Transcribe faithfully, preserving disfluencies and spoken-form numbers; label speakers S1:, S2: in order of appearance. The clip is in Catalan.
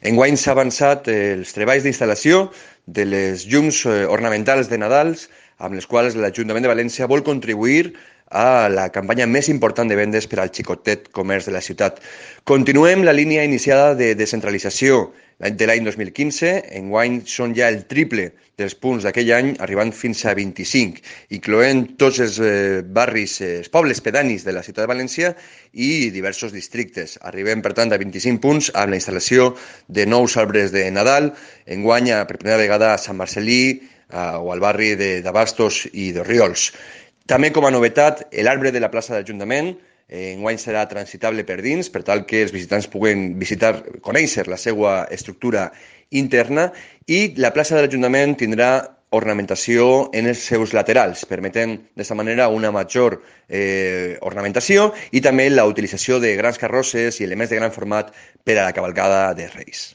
S1: Enguany s'ha avançat els treballs d'instal·lació de les llums eh, ornamentals de Nadals, amb les quals l'Ajuntament de València vol contribuir a la campanya més important de vendes per al xicotet comerç de la ciutat. Continuem la línia iniciada de descentralització de l'any dos mil quinze. Enguany són ja el triple dels punts d'aquell any, arribant fins a vint-i-cinc, incloent tots els eh, barris, eh, els pobles pedanis de la ciutat de València i diversos districtes. Arribem, per tant, a vint-i-cinc punts amb la instal·lació de nous arbres de Nadal. Enguany, per primera vegada, a Sant Marcelí eh, o al barri d'Abastos i de Riols. També, com a novetat, l'arbre de la plaça d'Ajuntament eh, enguany serà transitable per dins, per tal que els visitants puguen visitar, conèixer la seva estructura interna, i la plaça de l'Ajuntament tindrà ornamentació en els seus laterals, permetent d'aquesta manera una major eh, ornamentació i també la utilització de grans carrosses i elements de gran format per a la cavalcada de Reis.